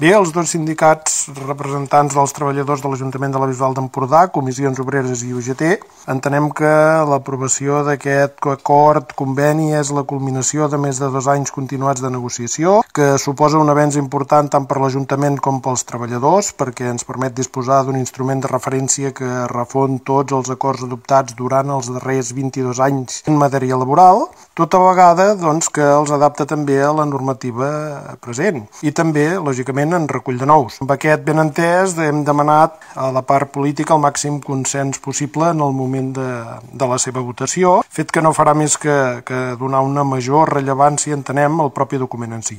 Bé, els dos sindicats representants dels treballadors de l'Ajuntament de la Bisbal d'Empordà, Comissions Obreres i UGT, entenem que l'aprovació d'aquest acord conveni és la culminació de més de 2 anys continuats de negociació, que suposa un avenç important tant per l'Ajuntament com pels treballadors, perquè ens permet disposar d'un instrument de referència que refon tots els acords adoptats durant els darrers 22 anys en matèria laboral, tota vegada que els adapta també a la normativa present i també, lògicament, en recull de nous. Amb aquest benentès hem demanat a la part política el màxim consens possible en el moment de la seva votació, fet que no farà més que donar una major rellevància, entenem, al propi document en si.